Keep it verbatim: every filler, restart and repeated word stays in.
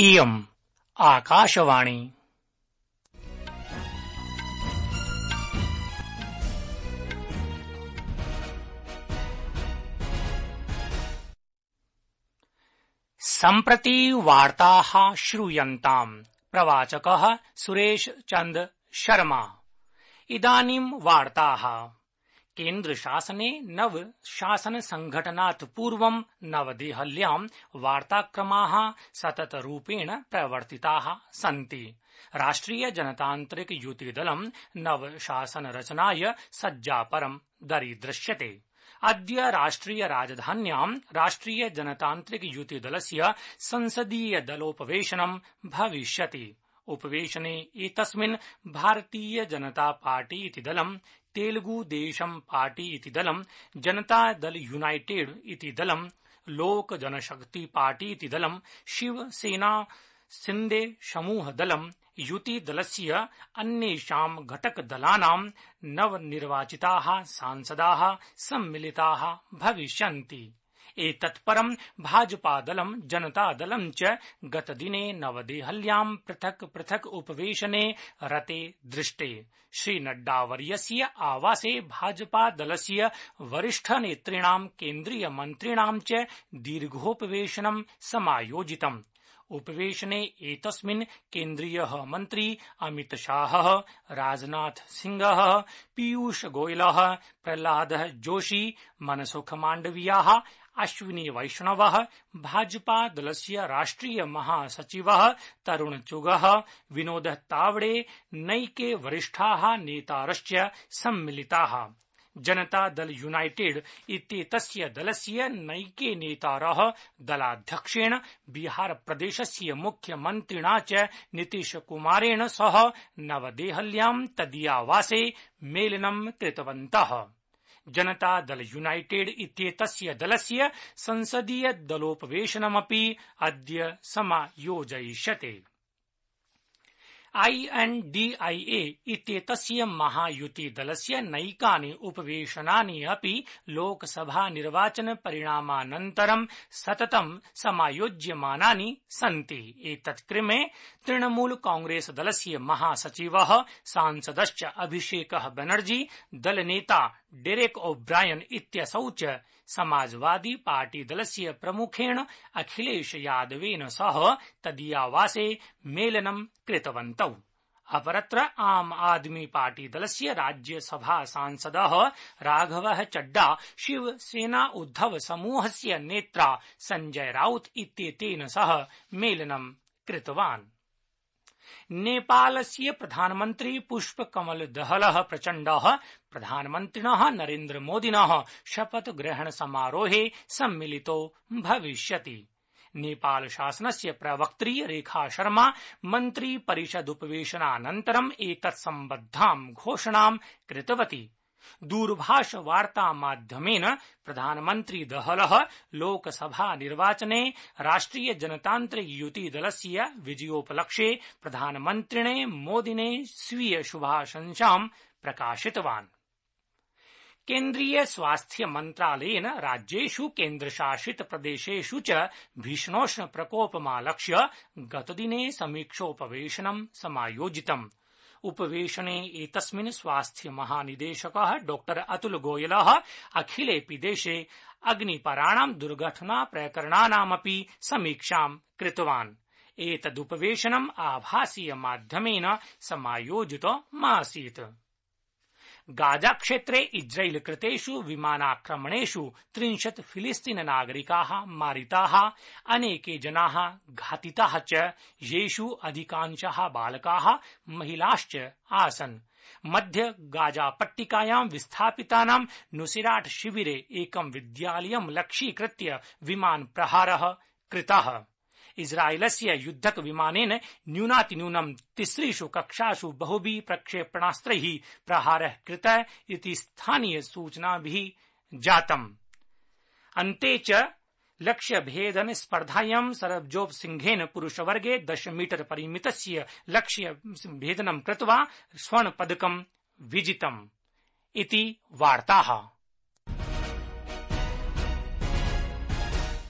इयम् आकाशवाणी। सम्प्रति वार्ताः श्रूयन्ताम्। प्रवाचकः सुरेश चन्द्र शर्मा। इदानीं वार्ताः। केन्द्रशासने नव शासन संघटनात् पूर्वं नवदेहल्यां वार्ताक्रमाः सततरूपेण प्रवर्तिताः सन्ति। राष्ट्रिय जनतान्त्रिक युतिदलं नव शासनरचनाय सज्जापरं दरीदृश्यते। अद्य राष्ट्रिय राजधान्यां राष्ट्रिय जनतान्त्रिक युतिदलस्य संसदीय दलोपवेशनं भविष्यति। उपवेशने एतस्मिन् भारतीय जनता पार्टी इति दलं, तेलुगु देशम पार्टी इति दलं, जनता दल यूनाइटेड इति दलं, लोक जनशक्ति पार्टी इति दलं, शिवसेना शिंदे समूह दलं, युति दलस्य अन्येषां घटकदलानां नवनिर्वाचिताः सांसदाः सम्मिलिताः भविष्यन्ति। एतत्परं भाजपादलं जनतादलं च गतदिने नवदेहल्यां पृथक् पृथक् उपवेशने रते दृष्टे। श्रीनड्डावर्यस्य आवासे भाजपादलस्य वरिष्ठनेतॄणां केन्द्रीयमन्त्रिणां च दीर्घोपवेशनं समायोजितम्। उपवेशने एतस्मिन् केन्द्रीयः मन्त्री अमितशाहः, राजनाथ सिंहः, पीयूष गोयलः, प्रह्लादः जोशी, मनसुख माण्डवियाः, अश्विनी वैष्णवः, भाजपा दलस्य राष्ट्रिय महासचिवः तरुण चुगः, विनोद तावडे, नैके वरिष्ठाः नेतारश्च सम्मिलिताः। जनता दल यूनाइटेड इत्येतस्य दलस्य नैके नेतारः दलाध्यक्षेण बिहार प्रदेशस्य मुख्यमन्त्रिणा च नीतीश कुमारेण सह नवदेहल्यां तदीयावासे मेलनं कृतवन्तः। जनता दल यूनाइटेड इत्येतस्य दलस्य संसदीय दलोपवेशनमपि अद्य समायोजयिष्यते। आई एन डी आई ए इत्येतस्य महायुतिदलस्य नैकानि उपवेशनानि अपि लोकसभा निर्वाचन परिणामानन्तरं सततं समायोज्यमानानि सन्ति। एतत्क्रमे तृणमूल कांग्रेस दलस्य महासचिवः सांसदश्च अभिषेकः बनर्जी, दलनेता डेरेक ओब्रायन इत्यसौ च समाजवादी पार्टी दलस्य प्रमुखेण अखिलेश यादवेन सह तदीयावासे मेलनं कृतवन्तौ। अपरत्र आम आदमी पार्टी दलस्य राज्यसभा सांसदः राघवः चड्डा शिवसेना उद्धव समूहस्य नेत्रा संजय राउत इत्येतेन सह मेलनं कृतवान्। नेपालस्य प्रधानमन्त्री पुष्पकमल दहलः प्रचण्डः प्रधानमन्त्रिणः नरेन्द्र मोदिनः शपथ ग्रहण समारोहे सम्मिलितो भविष्यति। नेपाल शासनस्य प्रवक्त्री रेखा शर्मा मन्त्री परिषदुपवेशनानन्तरम् एतत्सम्बद्धां घोषणां कृतवती। दूरभाषवार्तामाध्यमेन प्रधानमन्त्री दहलः लोकसभा निर्वाचने राष्ट्रिय जनतान्त्रिक युति दलस्य विजयोपलक्ष्ये प्रधानमन्त्रिणे मोदिने स्वीय शुभाशंसां प्रकाशितवान्। केन्द्रीय स्वास्थ्य मन्त्रालयेन राज्येषु केन्द्रशासित प्रदेशेषु च भीषणोष्ण प्रकोपमालक्ष्य गतदिने समीक्षोपवेशनं समायोजितम्। उपवेशने एतस्मिन् स्वास्थ्य महानिदेशकः डॉक्टर अतुल गोयलः अखिलेऽपि देशे अग्निपराणां दुर्घटना प्रकरणानामपि समीक्षां कृतवान्। एतदुपवेशनम् आभासीय माध्यमेन समायोजितमासीत्। गाजा क्षेत्रे इस्राएल कृतेषु विमानाक्रमणेषु त्रिंशत् फिलिस्तीन नागरिकाः मारिताः, अनेके जनाः घातिताः च, येषु अधिकांशः बालकाः महिलाश्च आसन्। मध्य गाजा पट्टिकायां विस्थापितानां नुसिराट शिविरे एकं विद्यालयं लक्ष्यीकृत्य विमान प्रहारः कृतः। इस्राएलस्य युद्धक विमानेन न्यूनातिन्यूनं तिसृषु कक्षासु बहुभिः प्रक्षेपणास्त्रैः प्रहारः कृतः इति स्थानीय सूचनाभिः जातम्। अन्ते च लक्ष्यभेदन स्पर्धायां सरबजोत सिंहेन पुरुषवर्गे दश मीटर परिमितस्य लक्ष्यभेदनं कृत्वा स्वर्णपदकं विजितम् इति वार्ताः।